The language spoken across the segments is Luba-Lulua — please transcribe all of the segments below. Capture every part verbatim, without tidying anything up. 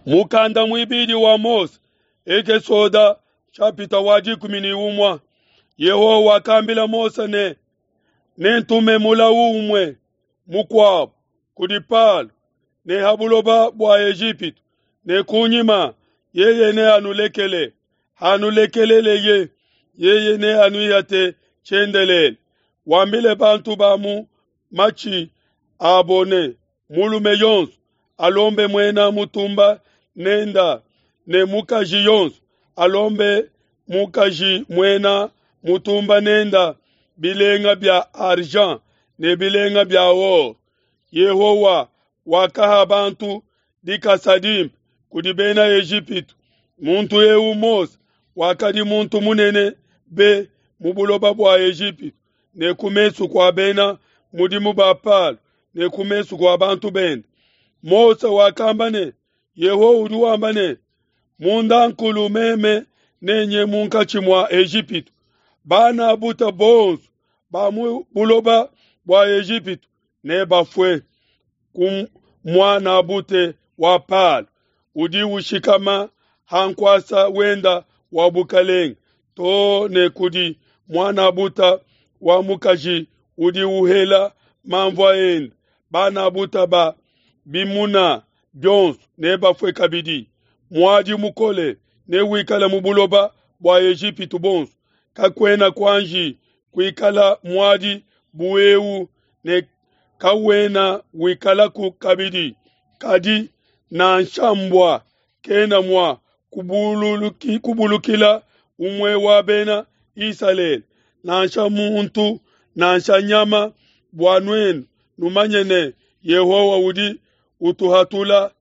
Mukanda muibidi wa Mose, Ekesoda chapita wa dikumi ne umue. Yehowa wakambila Mose ne, nentume mulawu umue mukuabo kudi Palo ne ha buloba bua Ejipitu, ne kunyima yeye neanulekele. Hanulekeleleye, yeye neanuihate tshiendelele. Wambile bantu ba mu matshi abo ne, mulume yonso alombe muena mutumba nenda, ne mukaji yonso alombe mukaji muena mutumba nenda bilenga bia argent ne bilenga bia or. Yehowa wakaha bantu dikasa dimpe kudi bena Ejipitu. Muntu eu Mose wakadi muntu munene be mu buloba bua Ejipitu ne ku mesu kua bena mudimu ba Palo ne ku mesu kua bantu bende. Mose wakamba ne, Yehowa udi wamba ne, mundankulu meme nenye munkatshi mua Ejipitu, bana buta bonso ba mu buloba bua Ejipitu nebafue ku muana bute wa Palo udi ushikama ha nkuasa wenda wa bukalenge to ne kudi muana buta wa mukaji udi uhela mamvua ende. Bana buta ba bimuna bionso nebafue kabidi. Muadi mukole newikale mu buloba bua Ejipitu bonso, kakuena kuanji kuikala muadi bu eu ne kawena wikalaku kabidi. Kadi nansha mbua kena mua kubuluki, kubulukila umue wa bena Isalele, nansha muntu nansha nyama, bua nuenu numanye ne Yehowa udi utuhatula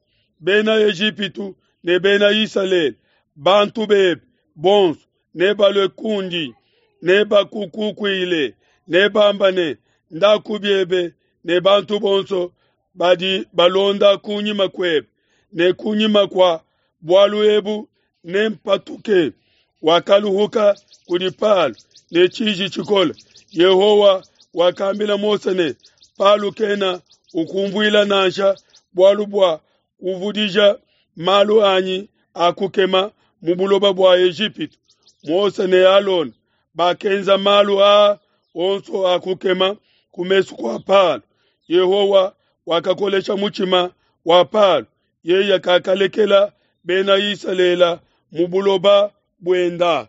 bena Ejipitu ne bena Isalele. Bantu bebe bonso nebalue kundi, nebakukukuile, nebamba ne, ndaku biebe ne bantu bonso badi balonda kunyima kuebe, ne kunyima kua bualu ebu nempatuke. Wakaluhuka kudi Palo ne tshiji tshikole. Yehowa wakambila Mose ne, Palo kena ukumvuila nansha, bualu bua kuvudija malu anyi a kukema mu buloba bua Ejipitu. Mose ne Alona bakenza malu aa onso a kukema ku mesu kua Palo. Yehowa wakakolesha mutshima wa Palo, yeye kakalekela bena Isalele mu buloba buenda.